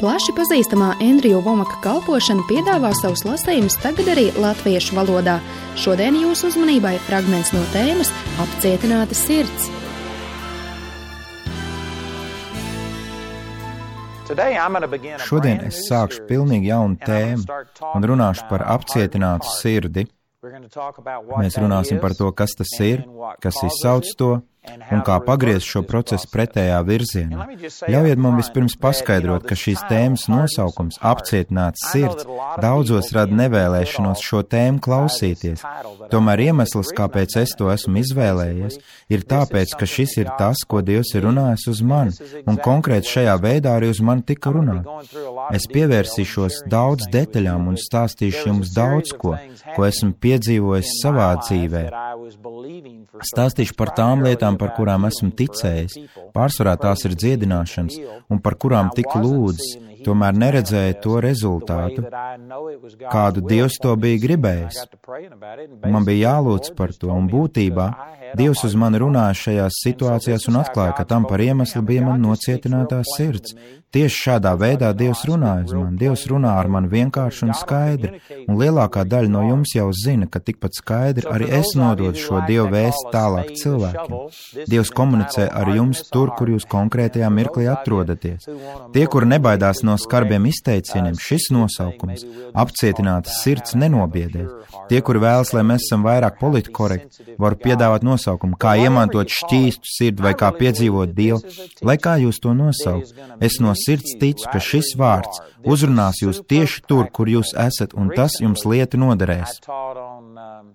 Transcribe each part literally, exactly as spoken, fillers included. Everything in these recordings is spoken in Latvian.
Plaši pazīstamā Endriju Vomaka kalpošana piedāvā savus lasījumus tagad arī latviešu valodā. Šodien jūsu uzmanībai fragments no tēmas Apcietināta sirds. Šodien es sākšu pilnīgi jaunu tēmu un runāšu par apcietinātu sirdi. Mēs runāsim par to, kas tas ir, kas izsauc to, un kā pagriezt šo procesu pretējā virzienā. Ļaujiet man vispirms paskaidrot, ka šīs tēmas nosaukums Apcietināts sirds daudzos rada nevēlēšanos šo tēmu klausīties. Tomēr iemesls, kāpēc es to esmu izvēlējies, ir tāpēc, ka šis ir tas, ko Dievs ir runājis uz mani, un konkrēti šajā veidā arī uz mani tika runāt. Es pievērsīšos daudz detaļām un stāstīšu jums daudz ko, ko esmu piedzīvojis savā dzīvē. Stāstīšu par tām lietām, par kurām esmu ticējis, pārsvarā tās ir dziedināšanas, un par kurām tik lūdzis, tomēr neredzēju to rezultātu, kādu Dievs to bija gribējis. Man bija jālūdz par to, un būtībā Dievs uz mani runāja šajās situācijās un atklāja, ka tam par iemeslu bija man nocietinātā sirds. Tieši šādā veidā Dievs runāja uz mani. Dievs runā ar mani vienkārši un skaidri, un lielākā daļa no jums jau zina, ka tikpat skaidri arī es nododu šo Dievu vēsti tālāk cilvēkiem. Dievs komunicē ar jums tur, kur jūs konkrētajā mirklī atrodaties. Tie, kuri nebaidās no skarbiem izteicieniem, šis nosaukums, apcietinātas sirds, nenobiedēs. Tie, kuri vēlas, lai mēs esam vairāk politkorekti, varu piedāvāt nosaukumu, kā iemantot šķīstu sirdi vai kā piedzīvot Dievu, lai kā jūs to nosaukt. Es no sirds ticu, ka šis vārds uzrunās jūs tieši tur, kur jūs esat, un tas jums lietu noderēs.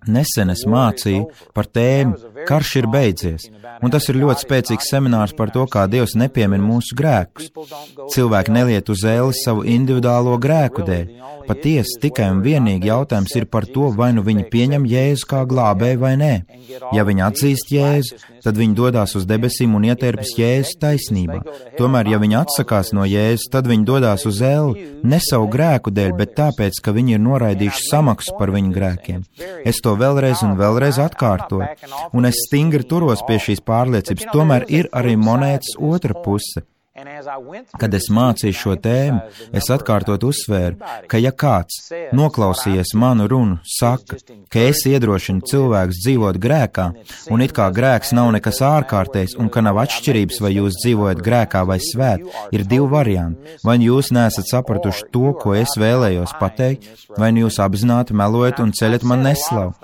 Nesen es mācīju par tēmu Karš ir beidzies, un tas ir ļoti spēcīgs seminārs par to, kā Dievs nepiemin mūsu grēkus. Cilvēki neliet uz ēli savu individuālo grēku dēļ. Patiesi, tikai un vienīgi jautājums ir par to, vai nu viņi pieņem Jēzu kā glābēju vai nē. Ja viņi atzīst Jēzu, tad viņi dodās uz debesīm un ieterpjas Jēzus taisnībā. Tomēr, ja viņi atsakās no Jēzus, tad viņi dodās uz ēli ne savu grēku dēļ, bet tāpēc, ka viņi ir noraidījuši samaksu par viņu grēkiem. Es to vēlreiz un vēlreiz atkārtoju, un es stingri turos pie šīs pārliecības. Tomēr ir arī monētas otra puse. Kad es mācīju šo tēmu, es atkārtot uzsvēru, ka ja kāds, noklausījies manu runu, saka, ka es iedrošinu cilvēkus dzīvot grēkā, un it kā grēks nav nekas ārkārtējs, un ka nav atšķirības, vai jūs dzīvojat grēkā vai svēt, ir divi varianti. Vai jūs neesat sapratuši to, ko es vēlējos pateikt, vai jūs apzināti melojat un ceļat man neslavu.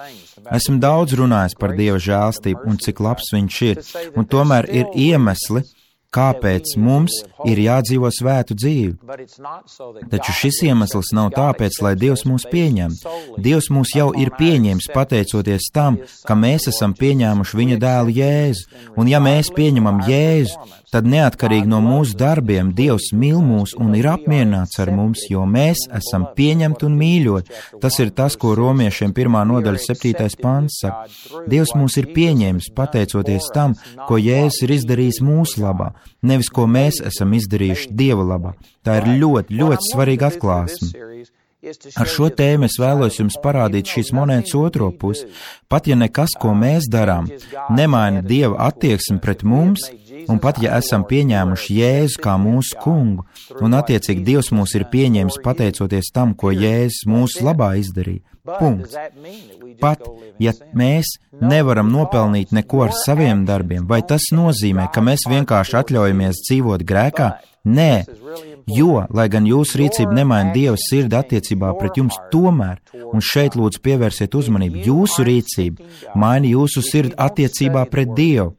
Esmu daudz runājis par Dieva žēlstību un cik labs viņš ir, un tomēr ir iemesli, kāpēc mums ir jādzīvo svētu dzīvi. Taču šis iemesls nav tāpēc, lai Dievs mūs pieņem. Dievs mūs jau ir pieņēmis pateicoties tam, ka mēs esam pieņēmuši viņa dēlu Jēzu. Un ja mēs pieņemam Jēzu, tad neatkarīgi no mūsu darbiem Dievs mīl mūs un ir apmierināts ar mums, jo mēs esam pieņemti un mīļoti. Tas ir tas, ko romiešiem pirmā nodaļa septītais pants saka. Dievs mūs ir pieņēmis pateicoties tam, ko Jēzus ir izdarījis mūsu labā, nevis ko mēs esam izdarījuši Dieva labā. Tā ir ļoti, ļoti svarīga atklāsme. Ar šo tēmu es vēlos jums parādīt šīs monētas otro pusi. Pat ja nekas, ko mēs darām, nemaina Dieva attieksmi pret mums, un pat ja esam pieņēmuši Jēzu kā mūsu kungu, un attiecīgi Dievs mūs ir pieņēmis pateicoties tam, ko Jēzus mūsu labā izdarīja. Punkts. Pat ja mēs nevaram nopelnīt neko ar saviem darbiem, vai tas nozīmē, ka mēs vienkārši atļaujamies dzīvot grēkā? Nē, jo, lai gan jūsu rīcība nemaina Dieva sirdi attiecībā pret jums, tomēr, un šeit lūdzu pievērsiet uzmanību, jūsu rīcība maina jūsu sirdi attiecībā pret Dievu.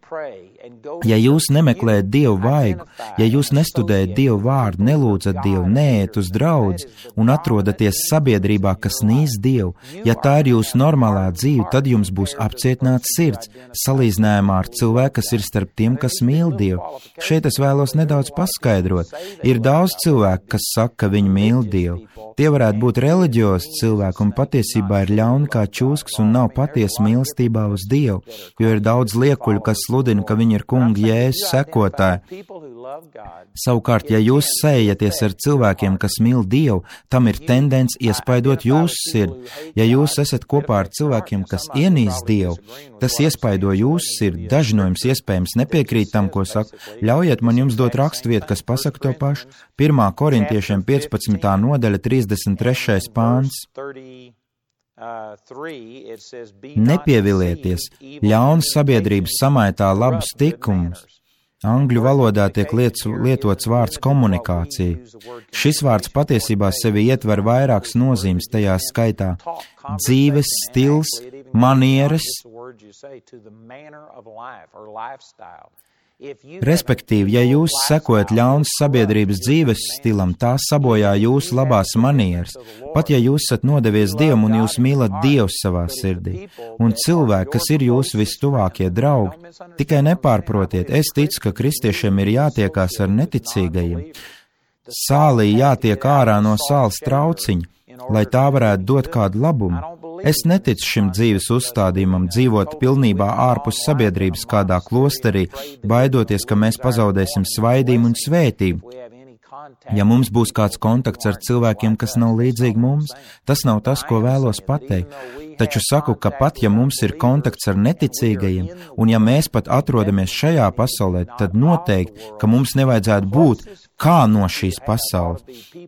Ja jūs nemeklējat Dievu vaigu, ja jūs nestudējat Dievu vārdu, nelūdzat Dievu, neejat uz draudzi un atrodaties sabiedrībā, kas nīst Dievu, ja tā ir jūsu normālā dzīve, tad jums būs apcietināts sirds, salīdzinājumā ar cilvēku, kas ir starp tiem, kas mīl Dievu. Šeit es vēlos nedaudz paskaidrot. Ir daudz cilvēku, kas saka, ka viņi mīl Dievu. Tie varētu būt reliģiozi cilvēki un patiesībā ir ļauni kā čūskas un nav patiesa mīlestībā uz Dievu, jo ir daudz liekuļu, kas sludina, ka viņi ir kunga Jēzus sekotāji. Savukārt, ja jūs sējaties ar cilvēkiem, kas mīl Dievu, tam ir tendence iespaidot jūsu sirdi. Ja jūs esat kopā ar cilvēkiem, kas ienīst Dievu, tas iespaido jūsu sirdi. Daži no jums iespējams nepiekrīt tam, ko saka. Ļaujiet man jums dot raksturvietu, kas pasaka to pašu. Pirmā Korintiešiem piecpadsmitā nodaļa, trīsdesmit trešais pāns. Nepievilieties, ļaunas sabiedrības samaitā labus tikumus. Angļu valodā tiek lietas, lietots vārds komunikācija. Šis vārds patiesībā sevi ietver vairākas nozīmes, tajā skaitā dzīves stils, manieres, respektīvi, ja jūs sekojat ļaunas sabiedrības dzīves stilam, tā sabojā jūsu labās manieres, pat ja jūs esat nodevies Dievam un jūs mīlat Dievu savā sirdī. Un cilvēki, kas ir jūsu vistuvākie draugi, tikai nepārprotiet, es ticu, ka kristiešiem ir jātiekās ar neticīgajiem. Sālī jātiek ārā no sāls trauciņa, lai tā varētu dot kādu labumu. Es neticu šim dzīves uzstādījumam dzīvot pilnībā ārpus sabiedrības kādā klosterī, baidoties, ka mēs pazaudēsim svaidību un svētību. Ja mums būs kāds kontakts ar cilvēkiem, kas nav līdzīgi mums, tas nav tas, ko vēlos pateikt. Taču saku, ka pat ja mums ir kontakts ar neticīgajiem, un ja mēs pat atrodamies šajā pasaulē, tad noteikti, ka mums nevajadzētu būt kā no šīs pasaules.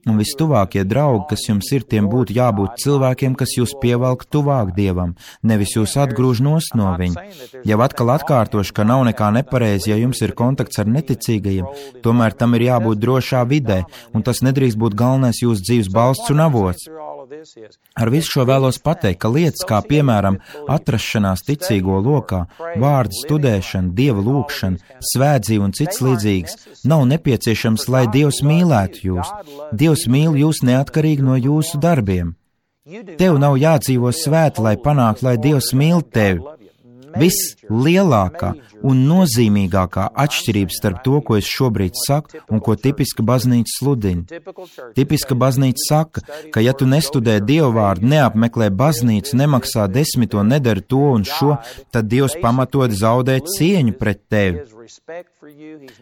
Un vistuvākie draugi, kas jums ir, tiem būtu jābūt cilvēkiem, kas jūs pievelk tuvāk Dievam, nevis jūs atgrūž nost no viņa. Jau atkal atkārtošu, ka nav nekā nepareizi, ja jums ir kontakts ar neticīgajiem, tomēr tam ir jābūt drošā vidē, un tas nedrīkst būt galvenais jūsu dzīves balsts un avots. Ar visu šo vēlos pateikt, ka lietas kā, piemēram, atrašanās ticīgo lokā, vārdu studēšana, Dieva lūgšana, svētdzīva un cits līdzīgs, nav nepieciešams, lai Dievs mīlētu jūs. Dievs mīl jūs neatkarīgi no jūsu darbiem. Tev nav jādzīvo svēti, lai panāktu, lai Dievs mīl tevi. Vislielākā un nozīmīgākā atšķirība starp to, ko es šobrīd saku un ko tipiska baznīca sludina. Tipiska baznīca saka, ka ja tu nestudē Dievu vārdu, neapmeklē baznīcu, nemaksā desmito, nedara to un šo, tad Dievs pamatot zaudē cieņu pret tevi.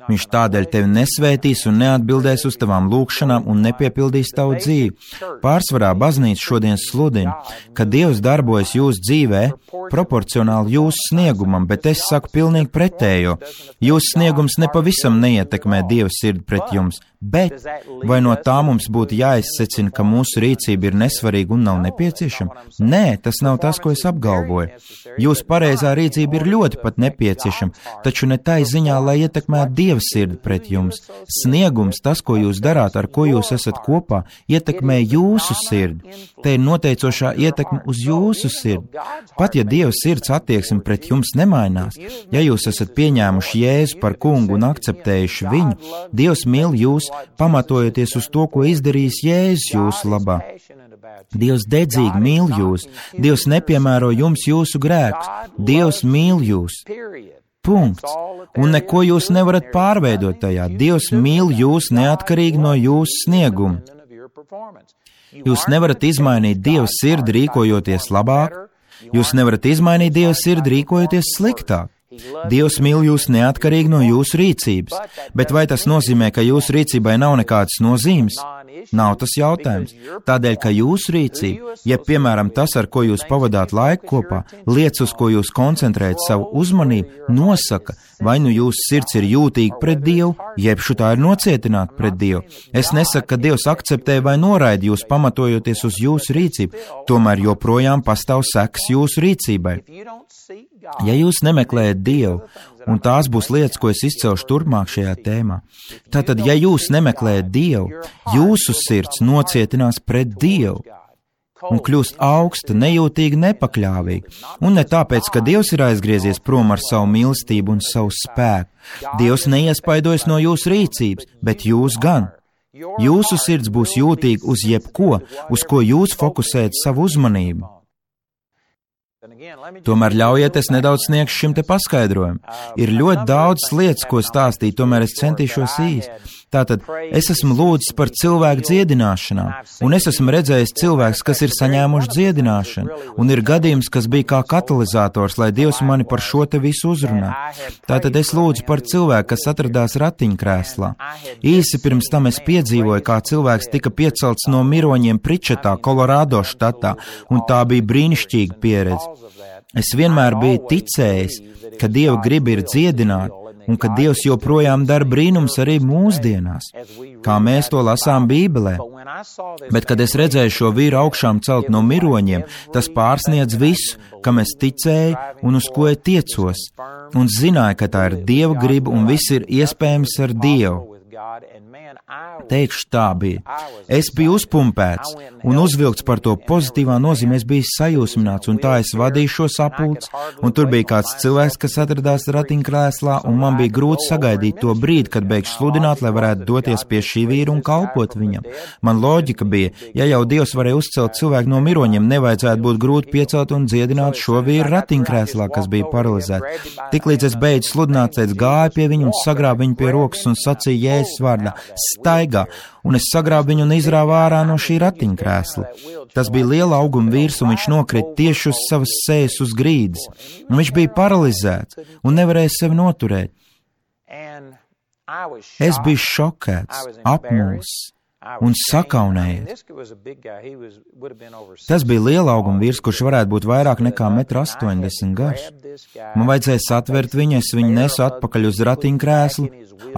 Viņš tādēļ tevi nesvētīs un neatbildēs uz tavām lūgšanām un nepiepildīs tavu dzīvi. Pārsvarā baznīca šodien sludina, ka Dievs darbojas jūsu dzīvē proporcionāli jūsu sniegumam, bet es saku pilnīgi pretējo. Jūsu sniegums nepavisam neietekmē Dieva sirdi pret jums, bet vai no tā mums būtu jāizsecina, ka mūsu rīcība ir nesvarīga un nav nepieciešama? Nē, tas nav tas, ko es apgalvoju. Jūsu pareizā rīcība ir ļoti pat nepieciešama, taču ne tai ziņā, lai ietekmētu Dieva sirdi pret jums. Sniegums, tas, ko jūs darāt, ar ko jūs esat kopā, ietekmē jūsu sirdi. Te ir noteicošā ietekme uz jūsu sirdi. Pat ja Dieva sirds attieksme pret jums nemainās, ja jūs esat pieņēmuši Jēzu par kungu un akceptējuši viņu, Dievs mīl jūs, pamatojoties uz to, ko izdarījis Jēzus jūsu labā. Dievs dedzīgi mīl jūs, Dievs nepiemēro jums jūsu grēkus, Dievs mīl jūs. Punkts. Un neko jūs nevarat pārveidot tajā. Dievs mīl jūs neatkarīgi no jūsu snieguma. Jūs nevarat izmainīt Dieva sirdi rīkojoties labāk, jūs nevarat izmainīt Dieva sirdi rīkojoties sliktāk. Dievs mīl jūs neatkarīgi no jūsu rīcības, bet vai tas nozīmē, ka jūsu rīcībai nav nekādas nozīmes? Nav tas jautājums. Tādēļ, ka jūsu rīcība, ja piemēram tas, ar ko jūs pavadāt laiku kopā, lietas, uz ko jūs koncentrējat savu uzmanību, nosaka, vai nu jūsu sirds ir jūtīga pret Dievu, jeb šutā ir nocietināta pret Dievu. Es nesaku, ka Dievs akceptē vai noraida jūs pamatojoties uz jūsu rīcību, tomēr joprojām pastāv sekas jūsu rīcībai. Ja jūs nemeklējat Dievu, un tās būs lietas, ko es izcelšu turpmāk šajā tēmā, tātad, ja jūs nemeklējat Dievu, jūsu sirds nocietinās pret Dievu un kļūst augsta, nejūtīga, nepakļāvīga. Un ne tāpēc, ka Dievs ir aizgriezies prom ar savu mīlestību un savu spēku. Dievs neiespaidojas no jūsu rīcības, bet jūs gan. Jūsu sirds būs jūtīga uz jebko, uz ko jūs fokusējat savu uzmanību. Tomēr ļaujiet es nedaudz sniegšu šim te paskaidrojumu. Ir ļoti daudz lietas, ko stāstīt, tomēr es centīšos īsti. Tātad, es esmu lūdzis par cilvēku dziedināšanām, un es esmu redzējis cilvēkus, kas ir saņēmuši dziedināšanu, un ir gadījums, kas bija kā katalizators, lai Dievs mani par šo te visu uzrunā. Tātad es lūdzu par cilvēku, kas atradās ratiņkrēslā. Īsi pirms tam es piedzīvoju, kā cilvēks tika piecelts no miroņiem Pričetā, Kolorādo štatā, un tā bija brīnišķīga pieredze. Es vienmēr biju ticējis, ka Dieva griba ir dziedināt, un ka Dievs joprojām dara brīnums arī mūsdienās, kā mēs to lasām Bībelē. Bet, kad es redzēju šo vīru augšām celt no miroņiem, tas pārsniedz visu, kam es ticēju un uz ko es tiecos, un zināju, ka tā ir Dieva griba un viss ir iespējams ar Dievu. Teikšu, tā bija. Es biju uzpumpēts un uzvilkts par to pozitīvā nozīmē, es biju sajūsmināts, un tā es vadīju šo sapulci, un tur bija kāds cilvēks, kas atradās ratiņkrēslā, un man bija grūti sagaidīt to brīdi, kad beigšu sludināt, lai varētu doties pie šī vīra un kalpot viņam. Man loģika bija, ja jau Dievs varēja uzcelt cilvēku no miroņiem, nevajadzētu būt grūti piecelt un dziedināt šo vīru ratiņkrēslā, kas bija paralizēts. Tiklīdz es beidzu sludināt, es gāju pie viņu un sagrābu viņu pie rokas un sacīju Jēzus vārdā: staigā, un es sagrābu viņu un izrāvu ārā no šī ratiņkrēsla. Tas bija liela auguma vīrs, un viņš nokrita tieši uz savas sejas uz grīdas, un viņš bija paralizēts un nevarēja sevi noturēt. Es biju šokēts, apmulsis un sakaunējies. Tas bija liela auguma vīrs, kurš varētu būt vairāk nekā metru astoņdesmit garš. Man vajadzēja satvert viņu, es viņu nesu atpakaļ uz ratiņkrēslu,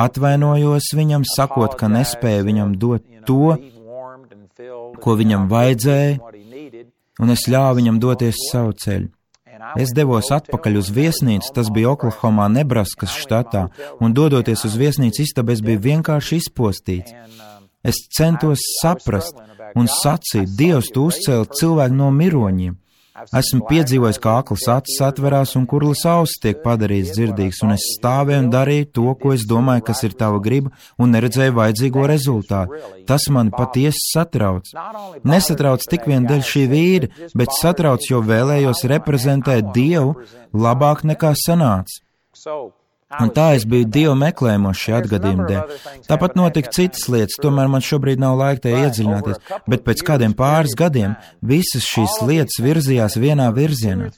atvainojos viņam, sakot, ka nespēju viņam dot to, ko viņam vajadzēja, un es ļāvu viņam doties savu ceļu. Es devos atpakaļ uz viesnīcu, tas bija Oklahomā, Nebraskas štatā, un dodoties uz viesnīcu istabu, es biju vienkārši izpostīts. Es centos saprast un sacīt: Dievs, tu uzcēli cilvēku no miroņiem. Esmu piedzīvojis, kā aklas acis atverās un kurlas ausis tiek padarīts dzirdīgs, un es stāvēju un darīju to, ko es domāju, kas ir tava griba, un neredzēju vajadzīgo rezultātu. Tas mani patiesi satrauc. Nesatrauc tik vien dēļ šī vīra, bet satrauc, jo vēlējos reprezentēt Dievu labāk nekā sanāca. Un tā es biju Dievu meklējumos šī atgadījuma dēļ. Tāpat notika citas lietas, tomēr man šobrīd nav laika tajā iedziļināties, bet pēc kādiem pāris gadiem visas šīs lietas virzījās vienā virzienā.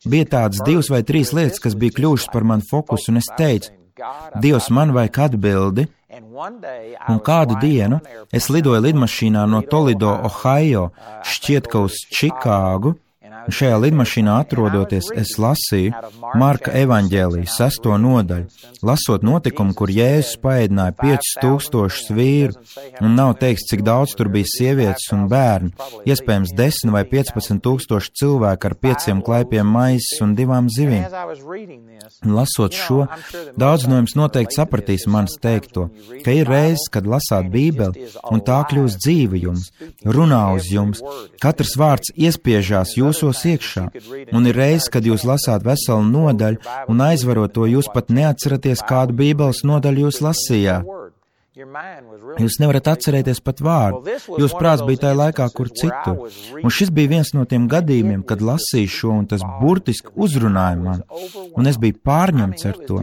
Bija tādas divas vai trīs lietas, kas bija kļuvušas par manu fokusu, un es teicu: Dievs, man vajag atbildi. Un kādu dienu es lidoju lidmašīnā no Toledo, Ohio, šķiet, ka uz Čikāgu. Šajā lidmašīnā atrodoties, es lasīju Marka evaņģēliju sesto nodaļu, lasot notikumu, kur Jēzus paēdināja piecus tūkstošus vīru, un nav teiks, cik daudz tur bija sievietes un bērni, iespējams desmit vai piecpadsmit tūkstoši cilvēku ar pieciem klaipiem maizes un divām zivīm. Lasot šo, daudz no jums noteikti sapratīs manis teikto, ka ir reizes, kad lasāt Bībeli, un tā kļūst dzīva jums, runā uz jums, katrs vārds iespiežās jūsos iekšā, un ir reizes, kad jūs lasāt veselu nodaļu, un aizvarot to jūs pat neatceraties, kādu Bībeles nodaļu jūs lasījāt. Jūs nevarat atcerēties pat vārdu, jūs prāts bija tajā laikā, kur citur. Un šis bija viens no tiem gadījumiem, kad lasīju šo, un tas burtiski uzrunāja man, un es biju pārņemts ar to.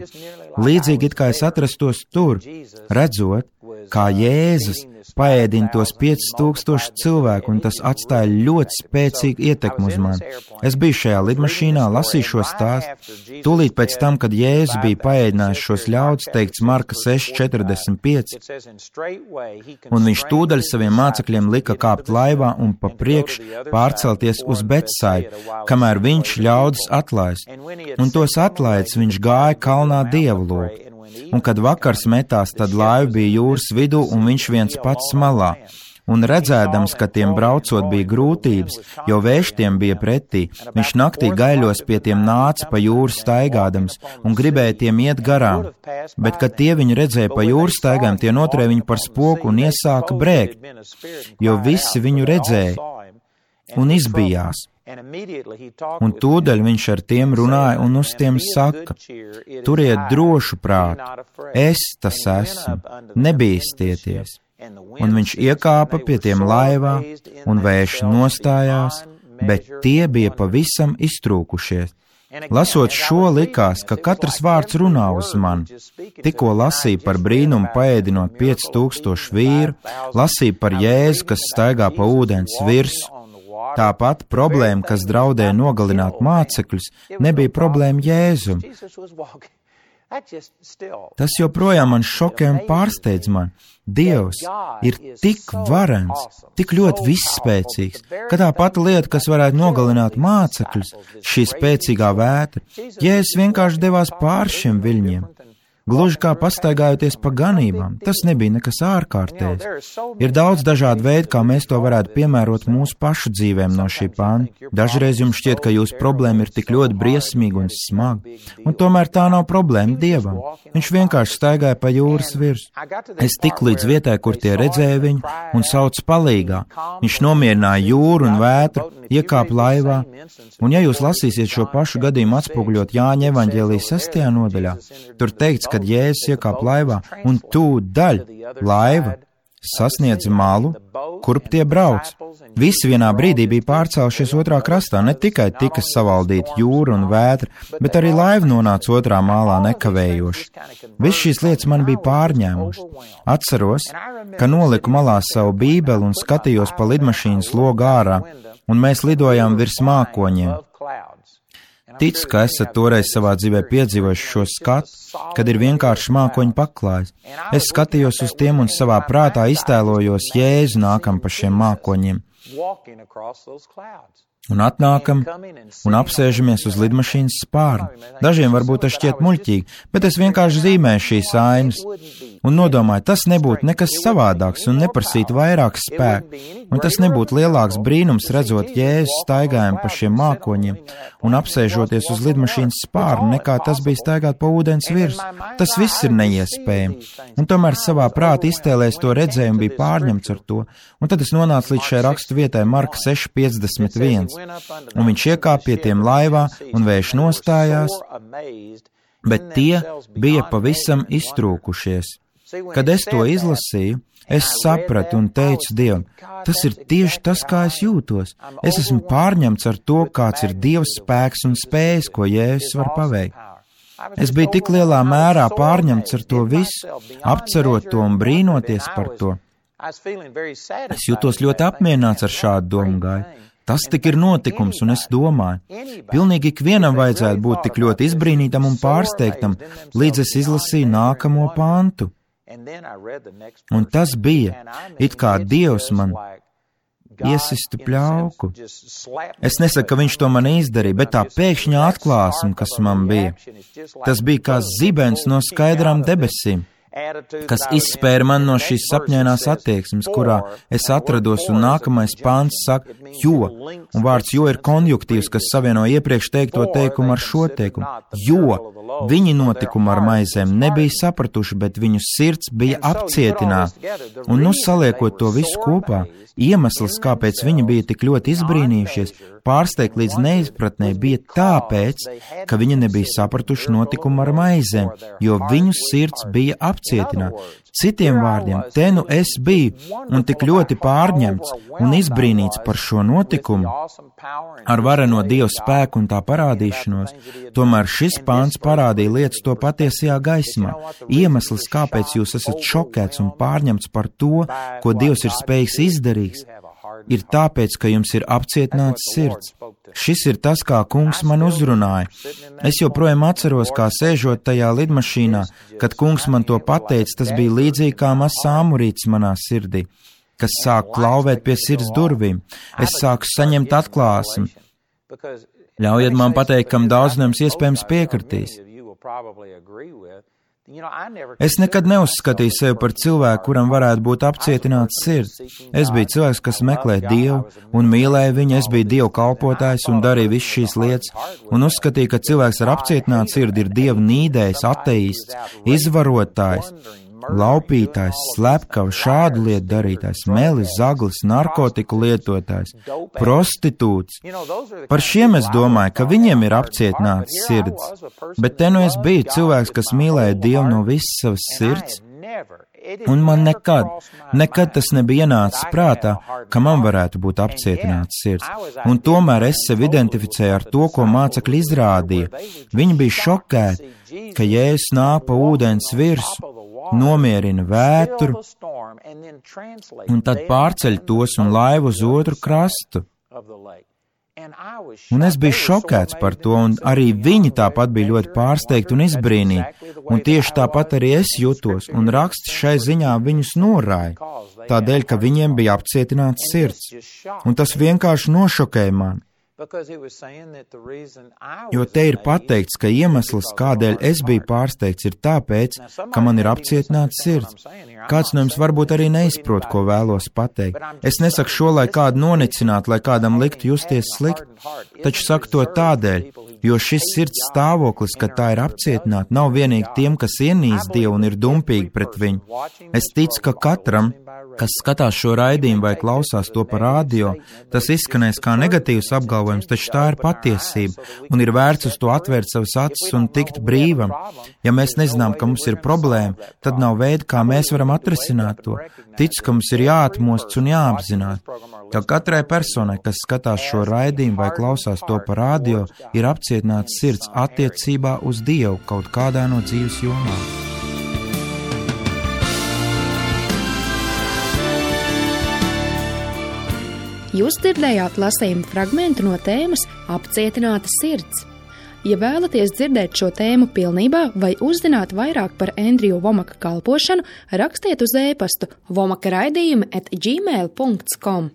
Līdzīgi it kā es atrastos tur, redzot, kā Jēzus paēdina tos piecus tūkstošus cilvēku, un tas atstāja ļoti spēcīgu ietekmi uz mani. Es biju šajā lidmašīnā, lasīju šo stāstu. Tūlīt pēc tam, kad Jēzus bija paēdinājis šos ļaudis, teikts Marka seši četrdesmit pieci, un viņš tūdaļ saviem mācekļiem lika kāpt laivā un pa priekš pārcelties uz Betsaidu, kamēr viņš ļaudis atlaist. Un tos atlaidis viņš gāja kalnā Dievu lūgt. Un kad vakars metās, tad laiva bija jūras vidū un viņš viens pats malā. Un redzēdams, ka tiem braucot bija grūtības, jo vējš tiem bija pretī, viņš naktī gaiļos pie tiem nāca pa jūru staigādams un gribēja tiem iet garām. Bet, kad tie viņu redzēja pa jūru staigām, tie noturēja viņu par spoku un iesāka brēkt, jo visi viņu redzēja un izbijās. Un tūdaļ viņš ar tiem runāja un uz tiem saka: turiet drošu prātu, es tas esmu, nebīstieties. Un viņš iekāpa pie tiem laivā, un vējš nostājās, bet tie bija pavisam iztrūkušies. Lasot šo, likās, ka katrs vārds runā uz mani. Tikko lasīju par brīnumu paēdinot pieci tūkstoši vīru, lasīju par Jēzu, kas staigā pa ūdens virsu. Tāpat problēma, kas draudēja nogalināt mācekļus, nebija problēma Jēzum. Tas joprojām man šokē un pārsteidz man. Dievs ir tik varens, tik ļoti visspēcīgs, ka tā pati lieta, kas varētu nogalināt mācekļus, šī spēcīgā vētra, Jēzus vienkārši devās pār šiem viļņiem. Gluži kā pastaigājoties pa ganībām, tas nebija nekas ārkārtējs. Ir daudz dažādu veidu, kā mēs to varētu piemērot mūsu pašu dzīvēm no šī panta. Dažreiz jums šķiet, ka jūsu problēma ir tik ļoti briesmīga un smaga, un tomēr tā nav problēma Dievam. Viņš vienkārši staigāja pa jūras virsmu. Es tiku līdz vietai, kur tie redzēja viņu un sauc palīgā. Viņš nomierināja jūru un vētru, iekāpa laivā, un ja jūs lasīsiet šo pašu gadījumu atspoguļot Jāņa evaņģēlijas sestajā nodaļā, tur teikts, kad Jēzus iekāpa laivā, un tūdaļ laiva sasniedza malu, kurp tie brauc. Visi vienā brīdī bija pārcēlušies otrā krastā, ne tikai tika savaldīta jūra un vētra, bet arī laiva nonāca otrā mālā nekavējoši. Viss šīs lietas man bija pārņēmušas. Atceros, ka noliku malā savu bībeli un skatījos pa lidmašīnas logu ārā, un mēs lidojām virs mākoņiem. Ticu, ka esat toreiz savā dzīvē piedzīvojuši šo skatu, kad ir vienkārši mākoņu paklājs. Es skatījos uz tiem un savā prātā iztēlojos Jēzu nākam pa šiem mākoņiem. Un atnākam un apsēžamies uz lidmašīnas spārna. Dažiem varbūt tas šķiet muļķīgi, bet es vienkārši zīmēju šīs ainas un nodomāju, tas nebūtu nekas savādāks un neprasītu vairāk spēku, un tas nebūtu lielāks brīnums redzot Jēzu staigājumu pa šiem mākoņiem un apsēžoties uz lidmašīnas spārnu, nekā tas bija staigāt pa ūdens virsmu. Tas viss ir neiespējami, un tomēr savā prātā iztēlēs to redzējumu bija pārņemts ar to, un tad es nonācu līdz šai rakstu vietai Marka seši piecdesmit viens. Un viņš iekāpa pie tiem laivā, un vējš nostājās, bet tie bija pavisam iztrūkušies. Kad es to izlasīju, es sapratu un teicu Dievam, tas ir tieši tas, kā es jūtos. Es esmu pārņemts ar to, kāds ir Dieva spēks un spējas, ko Jēzus var paveikt. Es biju tik lielā mērā pārņemts ar to visu, apcerot to un brīnoties par to. Es jūtos ļoti apmierināts ar šādu domu gaitu. Tas tik ir notikums, un es domāju, pilnīgi ikvienam vajadzētu būt tik ļoti izbrīnītam un pārsteigtam, līdz es izlasīju nākamo pantu. Un tas bija, it kā Dievs man iesistu pļauku. Es nesaku, ka viņš to man izdarīja, bet tā pēkšņā atklāsme, kas man bija, tas bija kā zibens no skaidrām debesīm, kas izspēra man no šīs sapņainās attieksmes, kurā es atrados, un nākamais pāns saka, jo, un vārds jo ir konjunktīvs, kas savieno iepriekš teikto teikumu ar šo teikumu, jo viņi notikumu ar maizēm nebija sapratuši, bet viņu sirds bija apcietināta, un nu saliekot to visu kopā, iemesls, kāpēc viņi bija tik ļoti izbrīnījušies, pārsteigt līdz neizpratnē, bija tāpēc, ka viņi nebija sapratuši notikumu ar maizēm, jo viņu sirds bija apcietināta. Citiem vārdiem, te nu es biju un tik ļoti pārņemts un izbrīnīts par šo notikumu ar vareno Dieva spēku un tā parādīšanos, tomēr šis pāns parādīja lietas to patiesajā gaismā. Iemesls, kāpēc jūs esat šokēts un pārņemts par to, ko Dievs ir spējīgs izdarīt, ir tāpēc, ka jums ir apcietināts sirds. Šis ir tas, kā kungs man uzrunāja. Es joprojām atceros, kā sēžot tajā lidmašīnā, kad kungs man to pateica, tas bija līdzīgi kā mazs āmurītis manā sirdī, kas sāk klauvēt pie sirds durvīm. Es sāku saņemt atklāsmi. Ļaujiet man pateikt, kam daudz no jums iespējams piekritīs. Es nekad neuzskatīju sevi par cilvēku, kuram varētu būt apcietināts sirds. Es biju cilvēks, kas meklē Dievu un mīlēja viņu, es biju Dieva kalpotājs un darīju visu šīs lietas, un uzskatīju, ka cilvēks ar apcietinātu sirdi ir Dieva nīdējs, ateists, izvarotājs, laupītājs, slepkavs, šādu lietu darītājs, melis, zaglis, narkotiku lietotājs, prostitūts. Par šiem es domāju, ka viņiem ir apcietināts sirds, bet te nu es biju cilvēks, kas mīlēja Dievu no visas savas sirds, Un man nekad, nekad tas nebija ienācis prātā, ka man varētu būt apcietināts sirds. Un tomēr es sevi identificēju ar to, ko mācekļi izrādīja. Viņi bija šokēti, ka Jēzus nāk pa ūdens virsu, nomierina vētru un tad pārceļ tos un laivu uz otru krastu. Un es biju šokēts par to, un arī viņi tāpat bija ļoti pārsteigti un izbrīnīti, un tieši tāpat arī es jutos, un raksts šai ziņā viņus norāja, tādēļ, ka viņiem bija apcietināts sirds, un tas vienkārši nošokēja mani. Jo te ir pateikts, ka iemesls, kādēļ es biju pārsteigts, ir tāpēc, ka man ir apcietināts sirds. Kāds no jums varbūt arī neizprot, ko vēlos pateikt. Es nesaku šo, lai kādu nonicinātu, lai kādam liktu justies slikti, taču saku to tādēļ, jo šis sirds stāvoklis, kad tā ir apcietināta, nav vienīgi tiem, kas ienīst Dievu un ir dumpīgi pret viņu. Es ticu, ka katram, kas skatās šo raidījumu vai klausās to pa radio, tas izskanēs kā negatīvs apgalvojums, taču tā ir patiesība, un ir vērts uz to atvērt savas acis un tikt brīvam. Ja mēs nezinām, ka mums ir problēma, tad nav veida, kā mēs varam atrisināt to. Ticu, ka mums ir jāatmosts un jāapzināt, ka katrai personai, kas skatās šo raidījumu vai klausās to pa radio, ir apcietināts sirds attiecībā uz Dievu kaut kādā no dzīves jomām. Jūs dzirdējāt lasījumu fragmentu no tēmas Apcietināta sirds. Ja vēlaties dzirdēt šo tēmu pilnībā vai uzzināt vairāk par Andriju Vomaka kalpošanu, rakstiet uz e-pastu vomaka raidījumi at gmail dot com.